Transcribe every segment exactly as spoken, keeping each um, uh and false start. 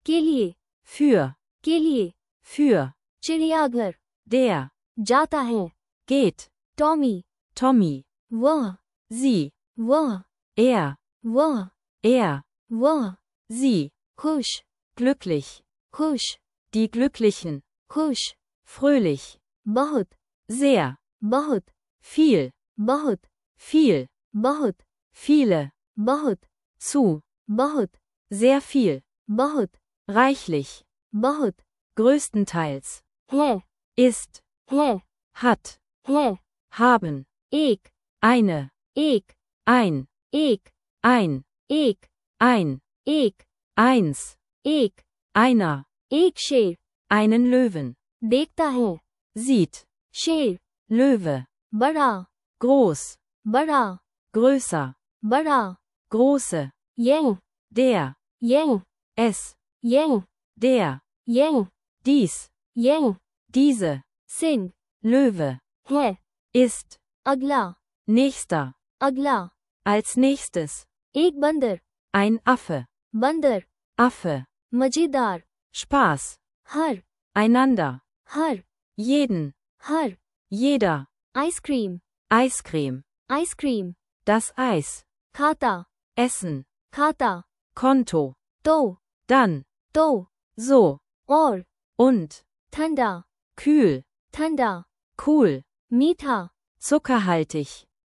के लिए, für, के लिए, für, चिड़ियाघर, der, जाता है, geht, टॉमी, Tommy, वह, sie, वह, er, वह, er, वह, sie, खुश, glücklich, खुश, die Glücklichen, खुश, fröhlich, बहुत, sehr, बहुत, viel, बहुत, viel, बहुत, viele, बहुत, zu, बहुत, sehr viel, बहुत, reichlich, बहुत, größtenteils, है, ist, है, hat, है, haben, एक, eine, एक, ein, एक, ein, एक, ein, एक, eins, एक, einer, एक शेर, einen Löwen, देखता है, sieht, शेर, Löwe, बड़ा, groß, बड़ा, größer, बड़ा, große, यंग, der, यंग, es, यंग, der, यंग, dies, यंग, diese, सिंह, Löwe, है, ist, अगला, nächster, अगला, als nächstes, एक बंदर, ein Affe, बंदर, Affe, मजेदार, Spaß, हर, einander, हर, jeden, हर, jeder, ice cream, Eiscreme, ice cream, das Eis, खाता, Essen, खाता, Konto, तो, dann, तो, so, और, und, ठंडा, kühl, ठंडा, cool, मीठा, zuckerhaltig,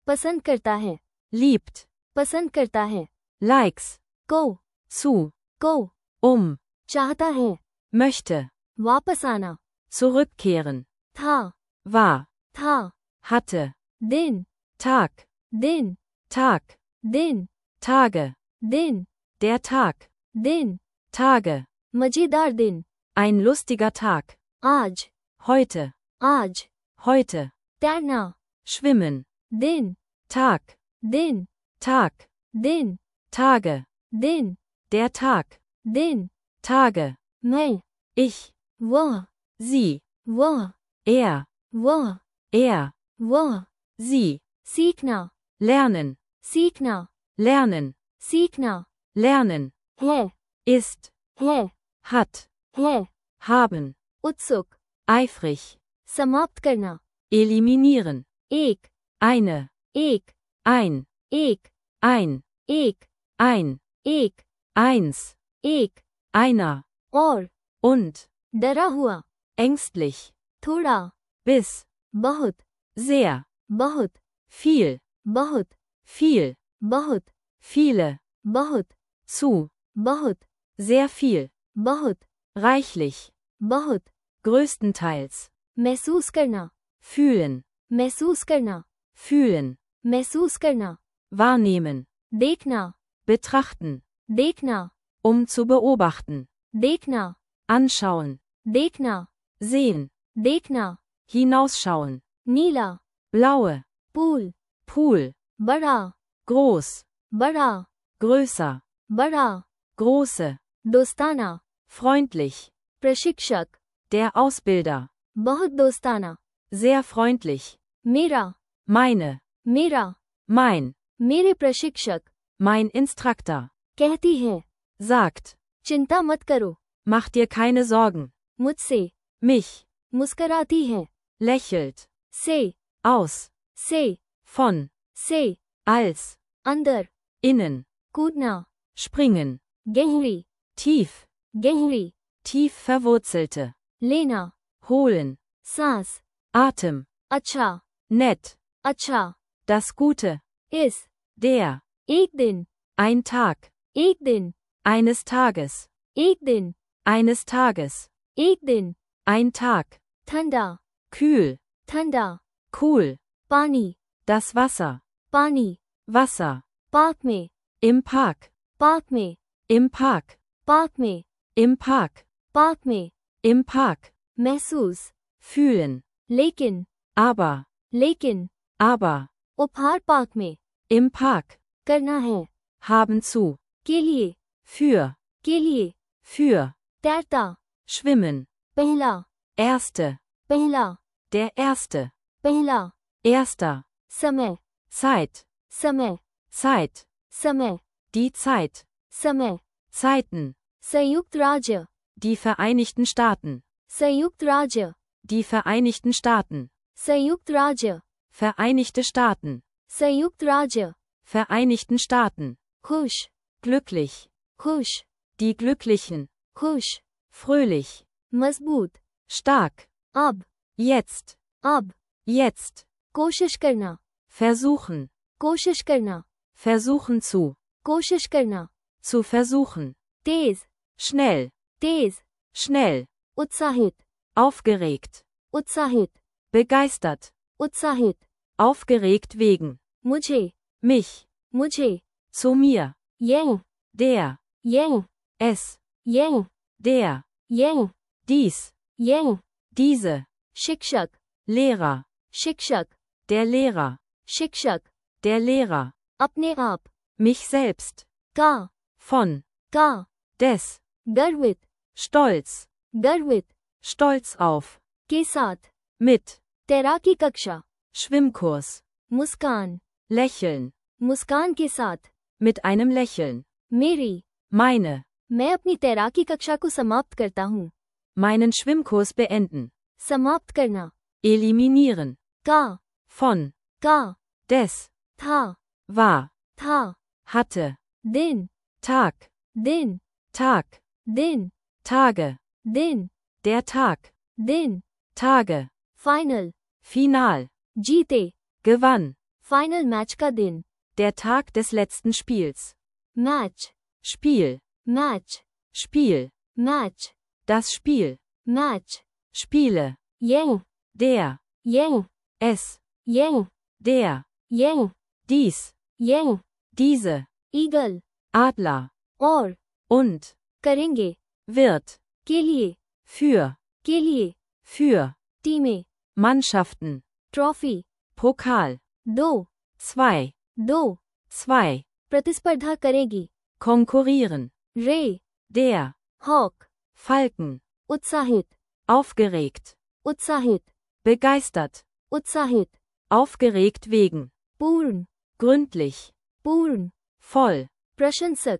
पसंद करता है, liebt, पसंद करता है, likes, को, zu, को, um, चाहता है, möchte, वापस आना, zurückkehren, था, war, था, hatte, दिन, Tag, दिन, Tag, दिन, Tage, दिन, der Tag, दिन, Tage, मजेदार दिन, ein lustiger Tag, आज, heute, आज, heute, तैरना, schwimmen, दिन, Tag, दिन, Tag, दिन, Tage, दिन, der Tag, दिन, Tage, मैं, ich, वह, sie, वह, er, वह, er, वह, sie, सीखना, lernen, सीखना, lernen, सीखना, lernen, है, ist, है, hat, है, haben, उत्सुक, eifrig, समाप्त करना, eliminieren, एक, eine, एक, ein, एक, ein, एक, ein, एक, eins, एक, einer, और, und, डरा हुआ, ängstlich, थोड़ा, bis, बहुत, sehr, बहुत, viel, बहुत, viel, बहुत, viele, बहुत, zu, बहुत, sehr viel, बहुत, reichlich, बहुत, größtenteils, महसूस करना, fühlen, महसूस करना, fühlen, महसूस करना, wahrnehmen, देखना, betrachten, देखना, um zu beobachten, देखना, anschauen, देखना, sehen, देखना, hinausschauen, नीला, blaue, पूल, Pool, बड़ा, groß, बड़ा, größer, बड़ा, große, दोस्ताना, freundlich, प्रशिक्षक, der Ausbilder, बहुत दोस्ताना, sehr freundlich, मेरा, meine, मेरा, mein, मेरे प्रशिक्षक, mein Instructor, कहती है, sagt, चिंता मत करो, mach dir keine Sorgen, मुझसे, mich, मुस्कराती है, lächelt, से, aus, से, von, से, als, अंदर, innen, कूदना, springen, गहरी, tief, गहरी, tief verwurzelte, लेना, holen, सांस, Atem, अच्छा, nett, अच्छा, das Gute, इस, der, एक दिन, ein Tag, एक दिन, eines Tages, एक दिन, eines Tages, एक दिन, ein Tag, ठंडा, kühl, ठंडा, cool, पानी, das Wasser, पानी, Wasser, पार्क में, im Park, पार्क में, im Park, पार्क में, im Park, पार्क में, im Park, महसूस, fühlen, लेकिन, aber, लेकिन, aber, उपहार पार्क में, im Park, करना है, haben zu, के लिए, für, के लिए, für, तैरता, schwimmen, पहला, erste, पहला, der erste, पहला, erster, समय, Zeit, समय, Zeit, समय, die Zeit, समय, Zeiten, संयुक्त राज्य, Die Vereinigten Staaten. संयुक्त राज्य, Die Vereinigten Staaten. संयुक्त राज्य, Vereinigte Staaten. संयुक्त राज्य, Vereinigten Staaten. खुश, Glücklich. खुश, Die Glücklichen. खुश, Fröhlich. मजबूत, Stark. अब, Jetzt. अब, Jetzt. कोशिश करना, Versuchen. कोशिश करना, Versuchen zu. कोशिश करना, Zu versuchen. तेज, Schnell. तेज, Schnell. उत्साहित, Aufgeregt. उत्साहित, Begeistert. उत्साहित, Aufgeregt wegen. मुझे, Mich. मुझे, Zu mir. Young, Der. यंग, Es. यंग, Der. यंग, Dies. यंग, Diese. शिक्षक, Lehrer. शिक्षक, Der Lehrer. शिक्षक, Der Lehrer. अपने आप, Mich selbst. का, Von. का, Des. गर्वित, Stolz. गर्वित, Stolz auf. के साथ, Mit. तैराकी कक्षा, Schwimmkurs. मुस्कान, Lächeln. मुस्कान के साथ, Mit einem Lächeln. मेरी, Meine. मैं अपनी तैराकी कक्षा को समाप्त करता हूँ, Meinen Schwimmkurs beenden. समाप्त करना, Eliminieren. का, Von. का, Des. था, War. था, Hatte. दिन, Tag. दिन, Tag. दिन, Tage. दिन, Der Tag. दिन, Tage. Final, Final. जीते, Gewann. फाइनल मैच का दिन, Der Tag des letzten Spiels. Match, Spiel. Match, Spiel. Match, Das Spiel. Match, Spiele. Young, Der. यंग, Es. यंग, Der. यंग, Dies. यंग, Diese. Eagle, Adler. और, Und. करेंगे, Wird. के लिए, Für. के लिए, Für. टीमें, Mannschaften. Trophy, Pokal. दो, Zwei. दो, Zwei. प्रतिस्पर्धा करेगी, Konkurrieren. रे, Der. Hawk, Falken. उत्साहित, Aufgeregt. उत्साहित, Begeistert. उत्साहित, Aufgeregt wegen. पूर्ण, Gründlich. पूर्ण, Voll. प्रशंसक,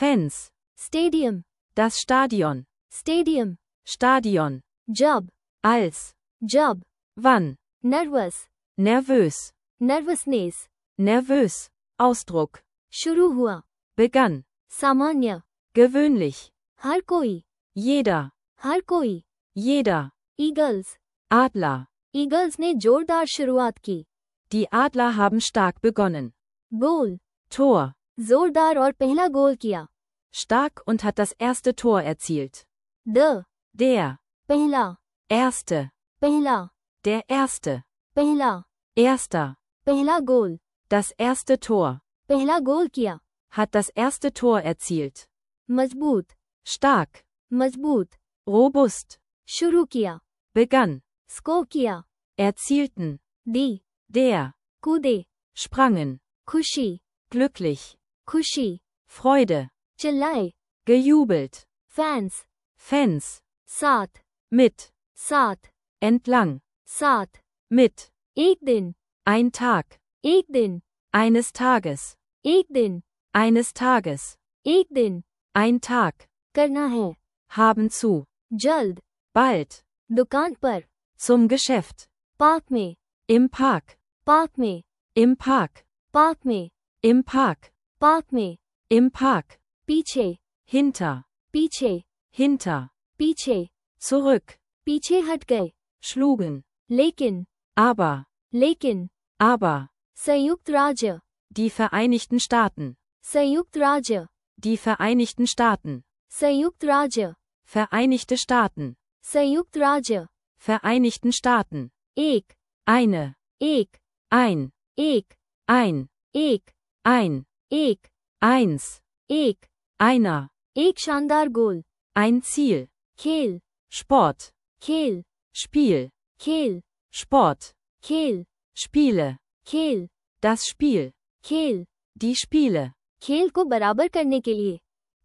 Fans. Stadium, Das Stadion. Stadium, Stadion. जब, Als. जब, Wann. Nervous, Nervös. Nervousness, Nervös. Ausdruck. शुरू हुआ, Begann. सामान्य, Gewöhnlich. हर कोई, Jeder. हर कोई, Jeder. Eagles, Adler. ईगल्स ने जोरदार शुरुआत की, Die Adler haben stark begonnen. गोल, Tor. जोरदार और पहला गोल किया, Stark und hat das erste Tor erzielt. The, Der. पहला, Erste. पहला, Der Erste. पहला, Erster. पहला गोल, Das erste Tor. पहला गोल किया, Hat das erste Tor erzielt. मजबूत, Stark. मजबूत, Robust. शुरू किया, Begann. स्को किया, Erzielten. दी, Der. कूदे, Sprangen. खुशी, Glücklich. खुशी, Freude. चिल्लाए, Gejubelt. Fans, Fans. साथ, Mit. साथ, Entlang. साथ, Mit. एक दिन, Ein Tag. एक दिन, Eines Tages. एक दिन, Eines Tages. एक दिन, Ein Tag. करना है, Haben zu. जल्द, Bald. दुकान पर, Zum Geschäft. पार्क में, Im Park. पार्क में, Im Park. पार्क में, Im Park. पार्क में, Im Park. पीछे, Hinter. पीछे, Hinter. पीछे, Zurück. पीछे हट गए, Schlugen. लेकिन, Aber. लेकिन, Aber. संयुक्त राज्य, Die Vereinigten Staaten. संयुक्त राज्य, Die Vereinigten Staaten. संयुक्त राज्य, Vereinigte Staaten. संयुक्त राज्य, Vereinigten Staaten. एक, Eine. एक, Ein. एक, Ein. एक, Ein. एक, Eins. एक, Einer. एक शानदार गोल, Ein Ziel. खेल, Sport. खेल, Spiel. खेल, Sport. खेल, Spiele. खेल, Das Spiel. खेल, Die Spiele. खेल को बराबर करने के लिए,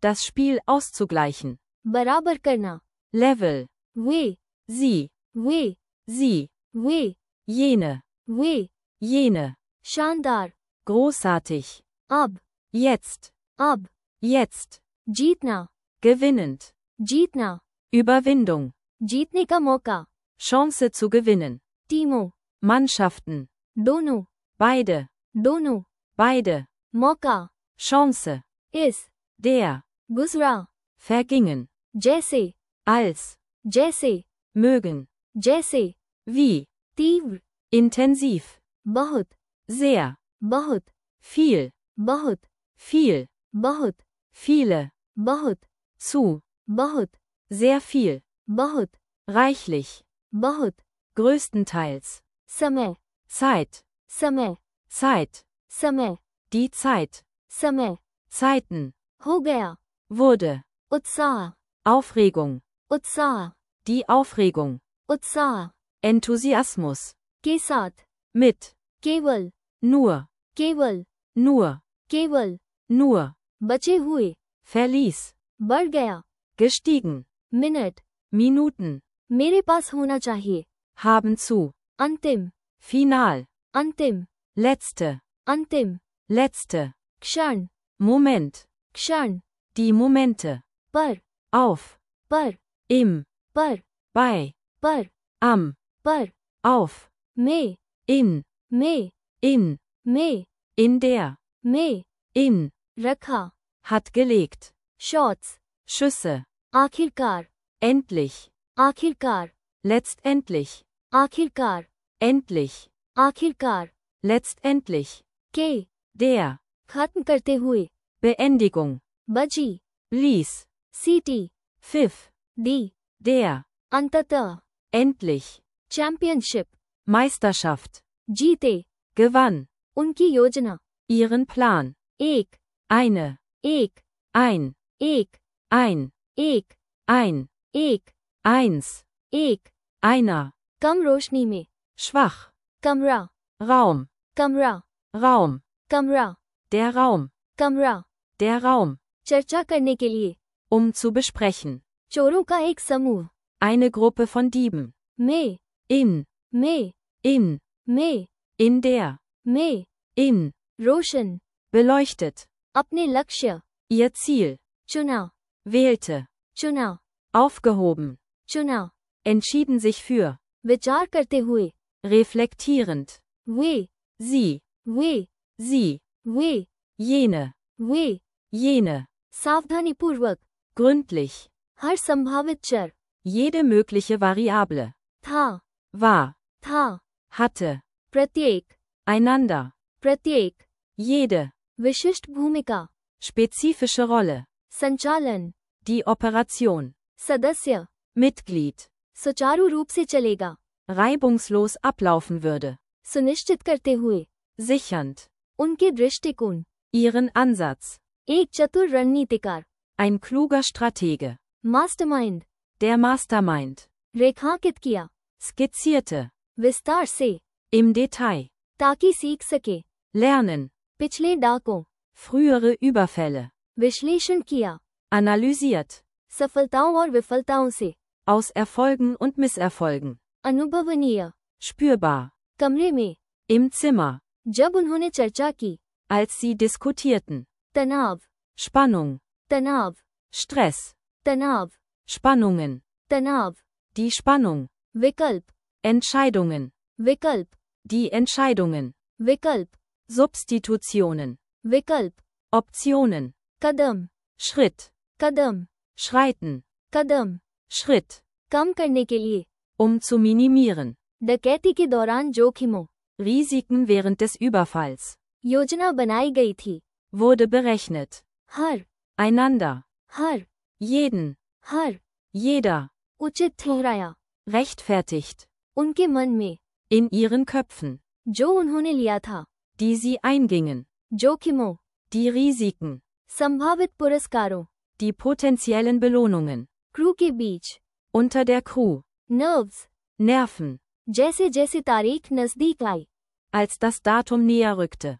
Das Spiel auszugleichen. बराबर करना, Level. वे, Sie. वे, Sie. वे, Jene. वे, Jene. शानदार, Großartig. अब, Jetzt. अब, Jetzt. जीतना, gewinnend, जीतना, Überwindung, जीतने का मौका, Chance zu gewinnen, टीमों, Mannschaften, दोनों, beide, दोनों, beide, मौका, Chance, इस, der, गुजरा, vergingen, जैसे, als, जैसे, mögen, जैसे, wie, तीव्र, intensiv, बहुत, sehr, बहुत, viel, बहुत, viel, बहुत, viele, बहुत, zu, बहुत, sehr viel, बहुत, reichlich, बहुत, größtenteils, समय, Zeit, समय, Zeit, समय, die Zeit, समय, Zeiten, हो गया, wurde, उत्साह, Aufregung, उत्साह, die Aufregung, उत्साह, Enthusiasmus, के साथ, mit, केवल, nur, केवल, nur, केवल, nur, बचे हुए, verließ, बढ़ गया, gestiegen, मिनट, Minuten, मेरे पास होना चाहिए, haben zu, अंतिम, final, अंतिम, letzte, अंतिम, letzte, क्षण, Moment, क्षण, die Momente, पर, auf, पर, im, पर, bei, पर, am, पर, auf, में, in, में, in, में, in der, में, in, रखा, hat gelegt, शॉट्स, Schüsse, आखिरकार, endlich, आखिरकार, letztendlich, आखिरकार, endlich, आखिरकार, letztendlich, के, der, खत्म करते हुए, Beendigung, बजी, blies, सीटी, pfiff, दी, der, अंततः, endlich, चैंपियनशिप, Meisterschaft, जीते, gewann, उनकी योजना, ihren Plan, एक, eine, एक, ein, एक, ein, एक, ein, एक, eins, एक, einer, कम रोशनी में, schwach, कमरा, Raum, कमरा, Raum, कमरा, der Raum, कमरा, der Raum, चर्चा करने के लिए, um zu besprechen, चोरों का एक समूह, eine Gruppe von Dieben, में, in, में, in, में, in der, में, in, रोशन, beleuchtet, अपने लक्ष्य, ihr Ziel, चुना, wählte, चुना, aufgehoben, चुना, entschieden sich für, विचार करते हुए, reflektierend, वे, sie, वे, sie, वे, jene, वे, jene, सावधानीपूर्वक, gründlich, हर संभावित चर, jede mögliche Variable, था, war, था, hatte, प्रत्येक, einander, प्रत्येक, jede, विशिष्ट भूमिका, spezifische Rolle, संचालन, die Operation, सदस्य, Mitglied, सुचारू रूप से चलेगा, reibungslos ablaufen würde, सुनिश्चित करते हुए, sichernd, उनके दृष्टिकोण, ihren Ansatz, एक चतुर रणनीतिकार, ein kluger Stratege, mastermind, der Mastermind, रेखांकित किया, skizzierte, विस्तार से, im Detail, ताकि सीख सके, lernen, पिछले डाकों, frühere Überfälle, विश्लेषण किया, analysiert, सफलताओं और विफलताओं से, aus Erfolgen und Misserfolgen, अनुभवनीय, spürbar, कमरे में, im Zimmer, जब उन्होंने चर्चा की, als sie diskutierten, तनाव, Spannung, तनाव, Stress, तनाव, Spannungen, तनाव, die Spannung, विकल्प, Entscheidungen, विकल्प, die Entscheidungen, विकल्प, Substitutionen, विकल्प, Optionen, कदम, Schritt, कदम, schreiten, कदम, Schritt, कम करने के लिए, um zu minimieren, डकैती के दौरान जोखिमों, Risiken während des Überfalls, योजना बनाई गई थी, wurde berechnet, हर, einander, हर, jeden, हर, jeder, उचित ठहराया, rechtfertigt, उनके मन में, in ihren Köpfen, जो उन्होंने लिया था, die sie eingingen, जोखिमों, die Risiken, संभावित पुरस्कारों, die potenziellen Belohnungen, क्रू के बीच, unter der Crew, nerves, Nerven, जैसे जैसे तारीख नजदीक आई, als das Datum näher rückte,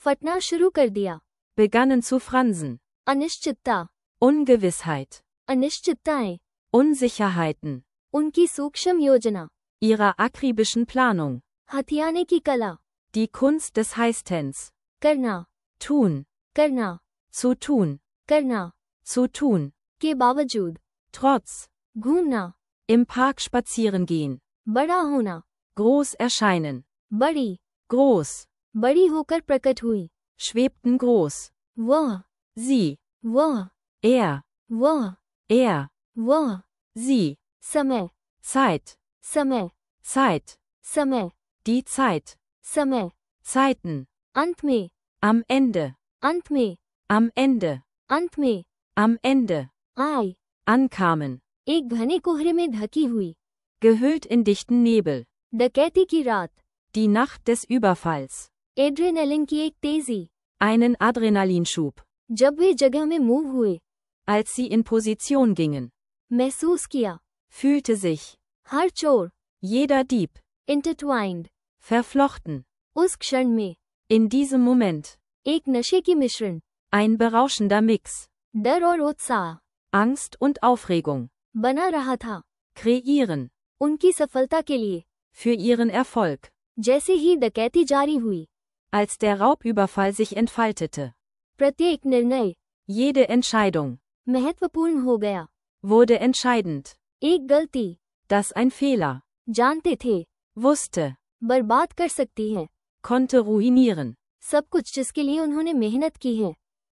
फटना शुरू कर दिया, begannen zu fransen, अनिश्चितता, Ungewissheit, अनिश्चितताएं, Unsicherheiten, उनकी सूक्ष्म योजना, ihrer akribischen Planung, हथियाने की कला, die Kunst des Heißtens, करना, tun, करना, zu tun, करना, zu tun, के बावजूद, Trotz. घूमना, Im Park spazieren gehen. बड़ा होना, Groß erscheinen. बड़ी, Groß. बड़ी होकर प्रकट हुई, Schwebten groß. वह, Sie. वह, Er. वह, Er. वह, Sie. समय, Zeit. समय, Zeit. समय, Die Zeit. समय, Zeiten. अंत में, Am Ende. अंत में, Am Ende. अंत में, Am Ende. आई, Ankamen. एक घने कोहरे में ढकी हुई, Gehüllt in dichten Nebel. डकैती की रात, Die Nacht des Überfalls. Adrenaline की एक तेजी, Einen Adrenalinschub. जब वे जगह में मूव हुए, Als sie in Position gingen. महसूस किया, Fühlte sich. हर चोर, Jeder Dieb. Intertwined, Verflochten. उस क्षण में, In diesem Moment. एक नशे की मिश्रण, Ein berauschender Mix. डर और उत्साह, Angst und Aufregung. बना रहा था, Kreieren. उनकी सफलता के लिए, Für ihren Erfolg. जैसे ही डकैती जारी हुई, Als der Raubüberfall sich entfaltete. प्रत्येक निर्णय, Jede Entscheidung. महत्वपूर्ण हो गया, Wurde entscheidend. एक गलती, Das ein Fehler. जानते थे, Wusste. बर्बाद कर सकती है, Konnte ruinieren. सब कुछ जिसके लिए उन्होंने मेहनत की है,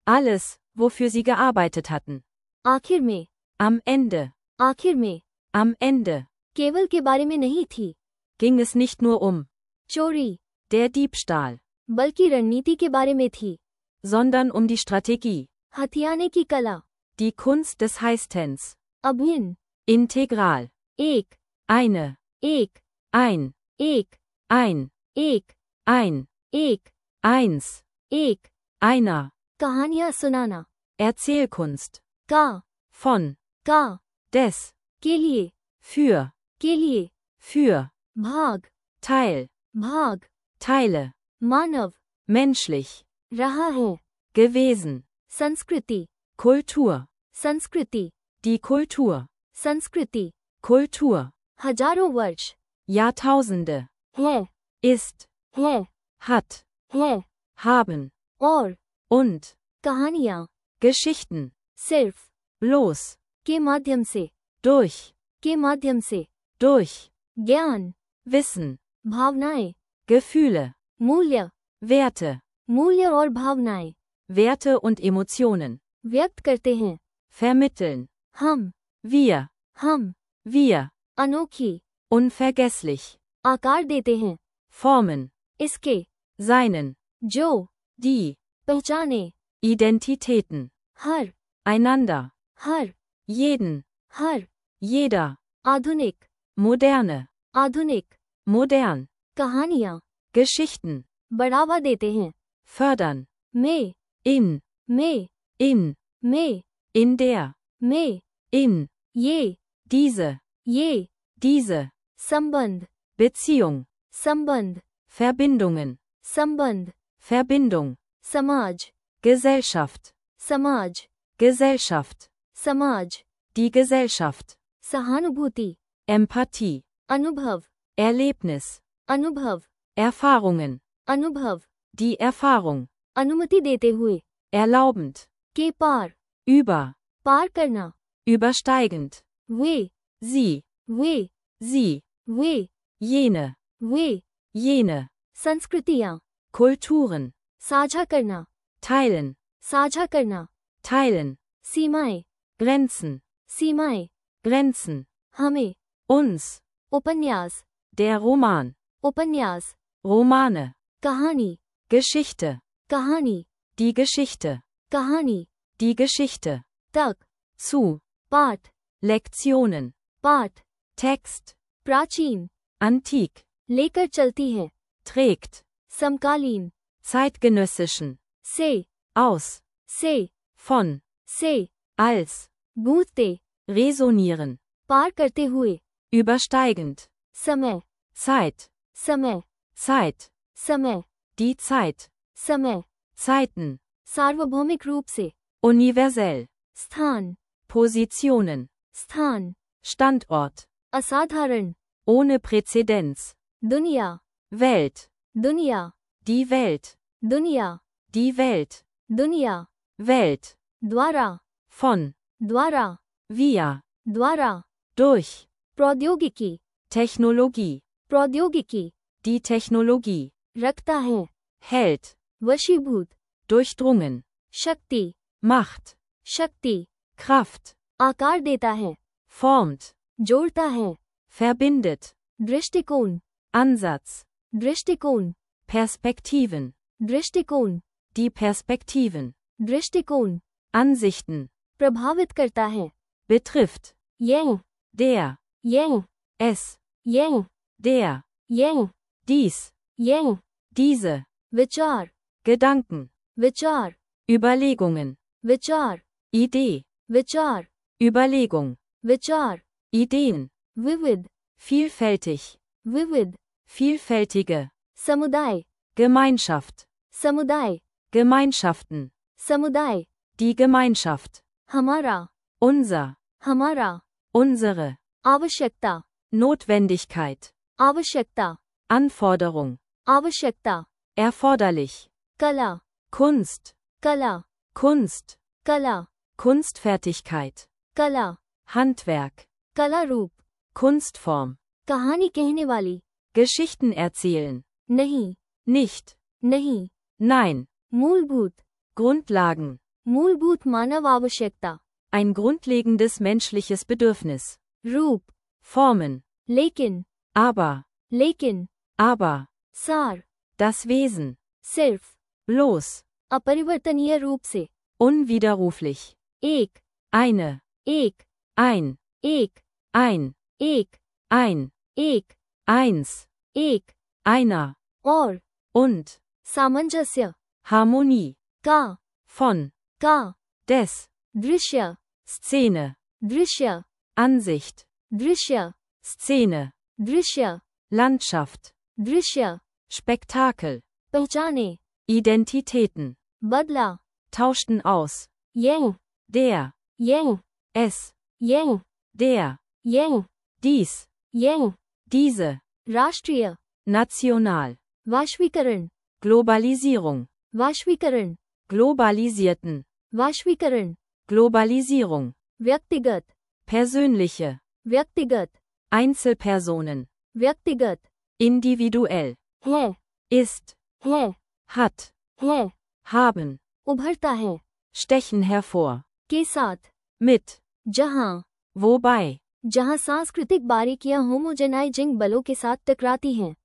Alles, wofür sie gearbeitet hatten. आखिर में, Am Ende. आखिर में, Am Ende. केवल के बारे में नहीं थी, Ging es nicht nur um चोरी, der Diebstahl, बल्कि रणनीति के बारे में थी, sondern um die Strategie. हथियाने की कला, Die Kunst des Heißtens. अभिन्न, Integral. एक, Eine. एक, Ein. एक, Ein. एक, Ein. एक, Eins. एक, Einer. कहानियां सुनाना, Erzählkunst. का, Von. का, Des. के लिए, Für. के लिए, Für. भाग, Teil. भाग, Teile. मानव, Menschlich. रहा है, Gewesen. संस्कृति, Kultur. संस्कृति, Die Kultur. संस्कृति, Kultur. हजारों वर्ष, Jahrtausende. है, Ist. है, Hat. है, Haben. और, Und. कहानियां, Geschichten. सिर्फ, Bloß. के माध्यम से, Durch. के माध्यम से, Durch. ज्ञान, Wissen. भावनाएं, Gefühle. मूल्य, Werte. मूल्य और भावनाएं, Werte und Emotionen. व्यक्त करते हैं, Vermitteln. हम, Wir. हम, Wir. अनोखी, Unvergesslich. आकार देते हैं, Formen. इसके, Seinen. जो, Die. पहचाने, Identitäten. हर, Einander. हर, Jeden. हर, Jeder. आधुनिक, Moderne. आधुनिक, Modern. कहानियां, Geschichten. बढ़ावा देते हैं, Fördern. में, In. में, In. में, In der. में, In. ये, Diese. ये, Diese. संबंध, Beziehung. संबंध, Verbindungen. संबंध, Verbindung. समाज, Gesellschaft. समाज, Gesellschaft. समाज, Die Gesellschaft. सहानुभूति, Empathie. अनुभव, Erlebnis. अनुभव, Erfahrungen. अनुभव, Die Erfahrung. अनुमति देते हुए, Erlaubend. के पार, Über. पार करना, Übersteigend. वे, Sie. वे, Sie. वे, Jene. वे, Jene. संस्कृतियां, Kulturen. साझा करना, Teilen. साझा करना, Teilen. सीमाएं, Grenzen. सीमाएं, Grenzen. हमें, Uns. उपन्यास, Der Roman. उपन्यास, Romane. कहानी, Geschichte. कहानी, Die Geschichte. कहानी, Die Geschichte. तक, Zu. पाठ, Lektionen. पाठ, Text. प्राचीन, Antik. लेकर चलती है, Trägt. समकालीन, Zeitgenössischen. से, Aus. से, Von. से, Als. गूंजते, Resonieren. पार करते हुए, Übersteigend. समय, Zeit. समय, Zeit. समय, Die Zeit. समय, Zeiten. सार्वभौमिक रूप से, Universell. स्थान, Positionen. स्थान, Standort. असाधारण, Ohne Präzedenz. दुनिया, Welt. दुनिया, Die Welt. दुनिया, Die Welt. दुनिया, Welt. द्वारा, Von. द्वारा, via, द्वारा, durch, प्रौद्योगिकी, Technologie, प्रौद्योगिकी, die Technologie, रखता है, hält, वशीभूत, durchdrungen, शक्ति, Macht, शक्ति, Kraft, आकार देता है, formt, जोड़ता है, verbindet, दृष्टिकोण, Ansatz, दृष्टिकोण, Perspektiven, दृष्टिकोण, die Perspektiven, दृष्टिकोण, Ansichten, प्रभावित करता है, betrifft, यह, der, यह, es, यह, der, यह, dies, यह, diese, विचार, Gedanken, विचार, Überlegungen, विचार, Idee, विचार, Überlegung, विचार, Ideen, विविध, vielfältig, विविध, vielfältige, समुदाय, Gemeinschaft, समुदाय, Gemeinschaften, समुदाय, die Gemeinschaft, हमारा, unser, हमारा, unsere, आवश्यकता, Notwendigkeit, आवश्यकता, Anforderung, आवश्यकता, erforderlich, कला, Kunst, कला, Kunst, कला, Kunstfertigkeit, कला, Handwerk, कला रूप, Kunstform, कहानी कहने वाली, Geschichten erzählen, नहीं, nicht, नहीं, nein, मूलभूत, Grundlagen, मूलभूत मानव आवश्यकता, ein grundlegendes menschliches Bedürfnis, रूप, Formen, लेकिन, aber, लेकिन, aber, सार, das Wesen, सिर्फ, bloß, अपरिवर्तनीय रूप से, unwiderruflich, एक, eine, एक, ein, एक, ein, एक, ein, एक, eins, एक, einer, और, und, सामंजस्य, Harmonie, का, von, का, des, दृश्य, Szene, दृश्य, Ansicht, दृश्य, Szene, दृश्य, Landschaft, दृश्य, Spektakel, पहचाने, Identitäten, बदला, tauschten aus, यह, der, यह, es, यह, der, यह, dies, यह, diese, राष्ट्रीय, national, वाश्वीकरण, Globalisierung, वाश्वीकरण, globalisierten, वाश्वीकरण, Globalisierung, व्यक्तिगत, persönliche, व्यक्तिगत, Einzelpersonen, व्यक्तिगत, individuell, है, ist, है, hat, है, haben, उभरता है, stechen hervor, के साथ, mit, जहां, wobei, जहां सांस्कृतिक बारीकियां होमोजेनाइजिंग बलों के साथ टकराती हैं,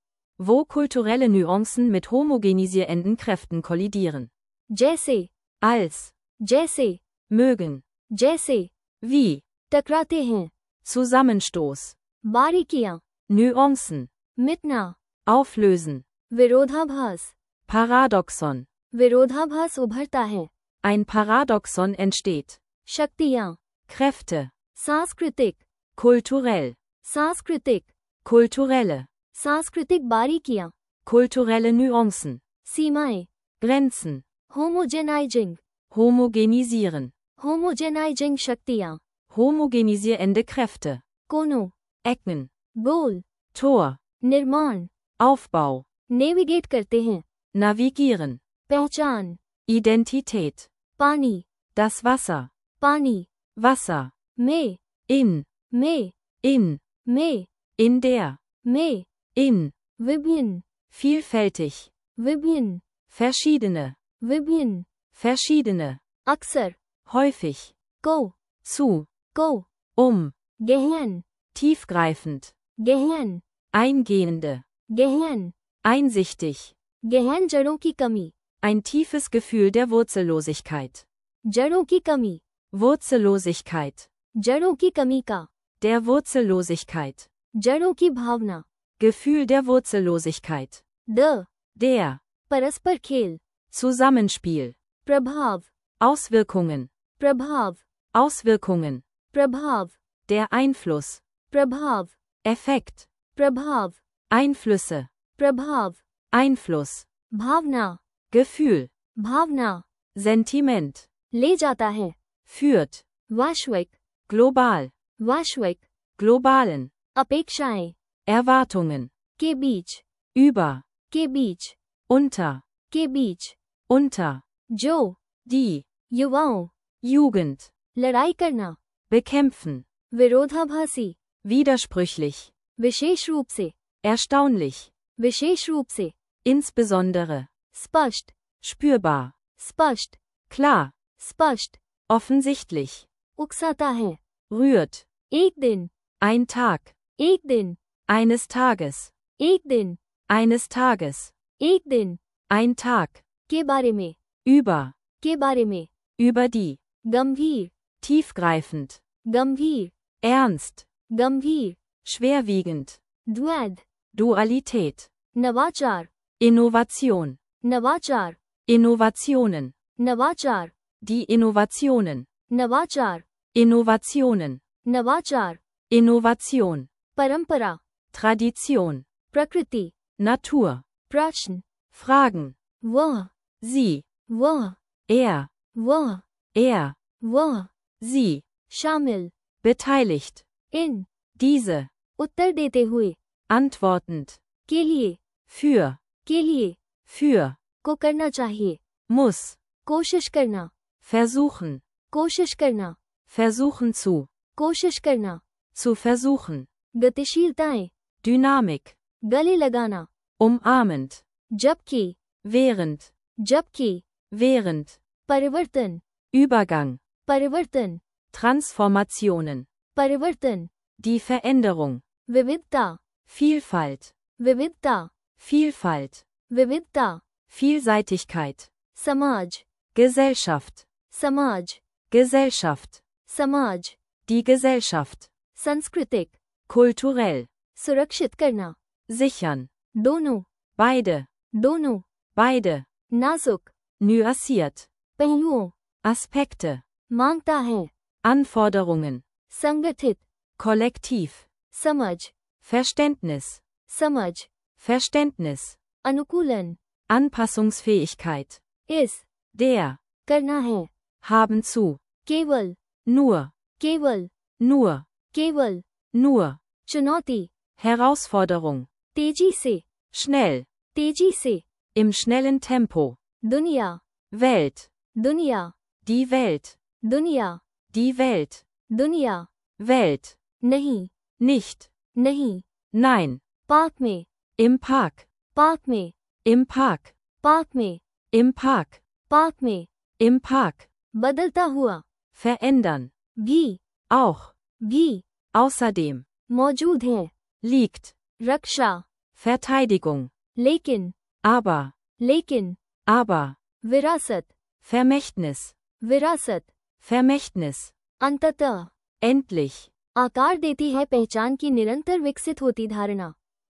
wo kulturelle Nuancen mit homogenisierenden Kräften kollidieren, जैसे, als, जैसे, mögen, जैसे, wie, टकराते हैं, Zusammenstoß, बारीकियां, Nuancen, मिटना, auflösen, विरोधाभास, Paradoxon, विरोधाभास उभरता है, ein Paradoxon entsteht, शक्तियां, Kräfte, सांस्कृतिक, kulturell, सांस्कृतिक, kulturelle, सांस्कृतिक बारीकियां, kulturelle Nuancen, सीमाएं, Grenzen, होमोजेनाइजिंग, homogenisieren, होमोजेनाइजिंग शक्तियां, homogenisierende Kräfte, कोनों, Ecken, गोल, Tor, निर्माण, Aufbau, नेविगेट करते हैं, navigieren, पहचान, Identität, पानी, das Wasser, पानी, Wasser, में, in, में, in, में, in der, में, in, विभिन्न, vielfältig, विभिन्न, verschiedene, विभिन्न, verschiedene, अक्सर, häufig, को, zu, को, um, गहन, tiefgreifend, गहन, eingehende, गहन, einsichtig, गहन जड़ों की कमी, ein tiefes Gefühl der Wurzellosigkeit, जड़ों की कमी, Wurzellosigkeit, जड़ों की कमी का, der Wurzellosigkeit, जड़ों की भावना, Gefühl der Wurzellosigkeit, the, der, परस्पर खेल, Zusammenspiel, प्रभाव, Auswirkungen, प्रभाव, Auswirkungen, प्रभाव, der Einfluss, प्रभाव, Effekt, प्रभाव, Einflüsse, प्रभाव, Einfluss, भावना, Gefühl, भावना, Sentiment, ले जाता है, führt, वैश्विक, global, वैश्विक, globalen, अपेक्षाएं, Erwartungen, के बीच, über, के बीच, unter, के बीच, unter, जो, die, युवाओं, Jugend, लड़ाई करना, bekämpfen, विरोधाभासी, widersprüchlich, विशेष रूप से, erstaunlich, विशेष रूप से, insbesondere, स्पष्ट, spürbar, स्पष्ट, klar, स्पष्ट, offensichtlich, उकसाता है, rührt, एक दिन, ein Tag, एक दिन, eines Tages, एक दिन, eines Tages, एक दिन, ein Tag, के बारे में, über, के बारे में, über die, गंभीर, tiefgreifend, गंभीर, ernst, गंभीर, schwerwiegend, द्वैध, Dualität, नवाचार, Innovation, नवाचार, Innovationen, नवाचार, die Innovationen, नवाचार, Innovationen, नवाचार, Innovation, परंपरा, Tradition, प्रकृति, Natur, प्रश्न, Fragen, वह, sie, वह, er, वह, er, वह, sie, शामिल, beteiligt, इन, diese, उत्तर देते हुए, antwortend, के लिए, für, के लिए, für, को करना चाहिए, muss, कोशिश करना, versuchen, कोशिश करना, versuchen zu, कोशिश करना, zu versuchen, गतिशीलताएं, Dynamik, गले लगाना, umarmend, जबकि, während, जबकि, während, परिवर्तन, Übergang, परिवर्तन, Transformationen, परिवर्तन, die Veränderung, विविधता, Vielfalt, विविधता, Vielfalt, विविधता, Vielseitigkeit, समाज, Gesellschaft, समाज, Gesellschaft, समाज, die Gesellschaft, सांस्कृतिक, kulturell, सुरक्षित करना, sichern, दोनों, beide, दोनों, beide, नाजुक, nuanciert, पहलुओं, Aspekte, मांगता है, Anforderungen, संगठित, kollektiv, समझ, Verständnis, समझ, Verständnis, अनुकूलन, Anpassungsfähigkeit, इस, der, करना है, haben zu, केवल, nur, केवल, nur, केवल, nur, चुनौती, Herausforderung, तेजी से, schnell, तेजी से, im schnellen Tempo, दुनिया, Welt, दुनिया, die Welt, दुनिया, die Welt, दुनिया, Welt, नहीं, nicht, नहीं, nein, पार्क में, im Park, पार्क में, im Park, पार्क में, im Park, पार्क में, im Park, बदलता हुआ, verändern, भी, auch, भी, außerdem, मौजूद है, liegt, रक्षा, Verteidigung, लेकिन, aber, लेकिन, aber, विरासत, Vermächtnis, विरासत, Vermächtnis, अंततः, endlich, आकार देती है पहचान की निरंतर विकसित होती धारणा,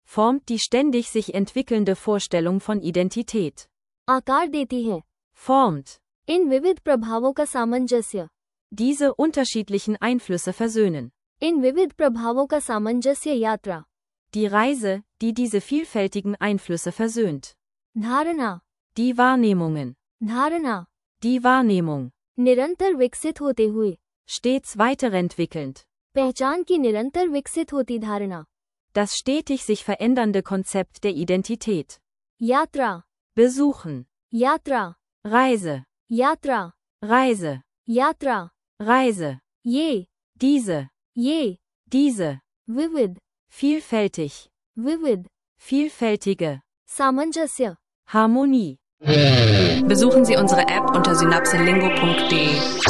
formt die ständig sich entwickelnde Vorstellung von Identität, आकार देती है, formt, इन विविध प्रभावों का सामंजस्य, diese unterschiedlichen Einflüsse versöhnen, इन विविध प्रभावों का सामंजस्य यात्रा, die Reise, die diese vielfältigen Einflüsse versöhnt, धारणा, die Wahrnehmungen, धारणा, die Wahrnehmung, निरंतर विकसित होते हुए, stets weiterentwickelnd, पहचान की निरंतर विकसित होती धारणा, das stetig sich verändernde Konzept der Identität, यात्रा, besuchen, यात्रा, Reise, यात्रा, Reise, यात्रा, Reise, ये, diese, ये, diese, विविध, vielfältig, विविध, vielfältige, सामंजस्य, Harmonie. Besuchen Sie unsere App unter synapselingo punkt de.